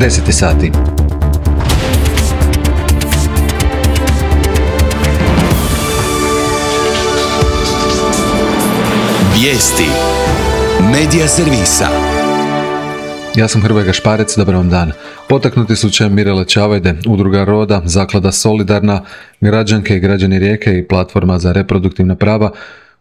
10 sati. Vijesti Medija servisa. Ja sam Hrvoje Gašparec, dobar vam dan. Potaknuti slučajem Mirele Čavajde, Udruga Roda, Zaklada Solidarna, građanke i građani Rijeke i Platforma za reproduktivna prava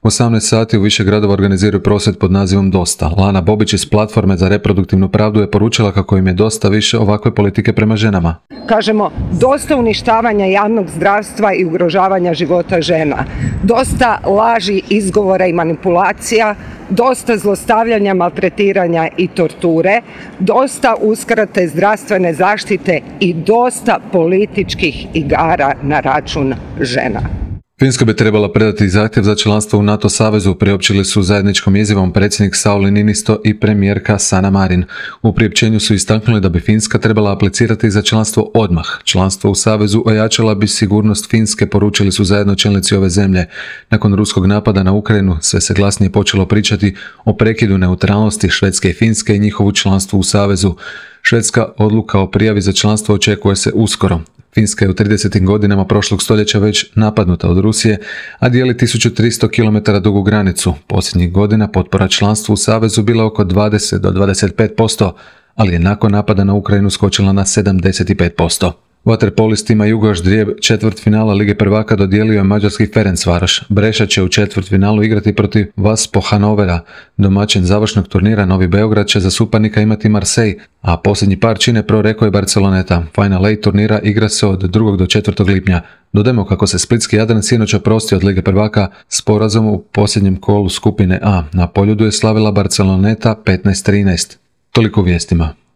u 18 sati u više gradova organiziraju prosvjed pod nazivom Dosta. Lana Bobić iz Platforme za reproduktivnu pravdu je poručila kako im je dosta više ovakve politike prema ženama. Kažemo, dosta uništavanja javnog zdravstva i ugrožavanja života žena. Dosta laži, izgovora i manipulacija, dosta zlostavljanja, maltretiranja i torture, dosta uskrate zdravstvene zaštite i dosta političkih igara na račun žena. Finska bi trebala predati zahtjev za članstvo u NATO savezu, priopćili su zajedničkom izjavom predsjednik Sauli Niinisto i premijerka Sanna Marin. U priopćenju su istaknuli da bi Finska trebala aplicirati za članstvo odmah. Članstvo u savezu ojačala bi sigurnost Finske, poručili su zajedno čelnici ove zemlje. Nakon ruskog napada na Ukrajinu sve se glasnije počelo pričati o prekidu neutralnosti Švedske i Finske i njihovu članstvu u savezu. Švedska odluka o prijavi za članstvo očekuje se uskoro. Finska je u 30. godinama prošlog stoljeća već napadnuta od Rusije, a dijeli 1300 km dugu granicu. Posljednjih godina potpora članstvu u savezu bila oko 20 do 25%, ali je nakon napada na Ukrajinu skočila na 75%. Vaterpolistima Jugoš Drijeb četvrtfinala Lige prvaka dodijelio je mađarski Ferencvaroš. Breša će u četvrtfinalu igrati protiv Vaspo Hanovera. Domaćin završnog turnira Novi Beograd će za suparnika imati Marseille, a posljednji par čine Proreko i Barceloneta. Final 8 turnira igra se od 2. do 4. lipnja. Dodajmo kako se splitski Jadran sinoć oprostio od Lige prvaka s porazom u posljednjem kolu skupine A. Na Poljudu je slavila Barceloneta 15-13. Toliko u vijestima.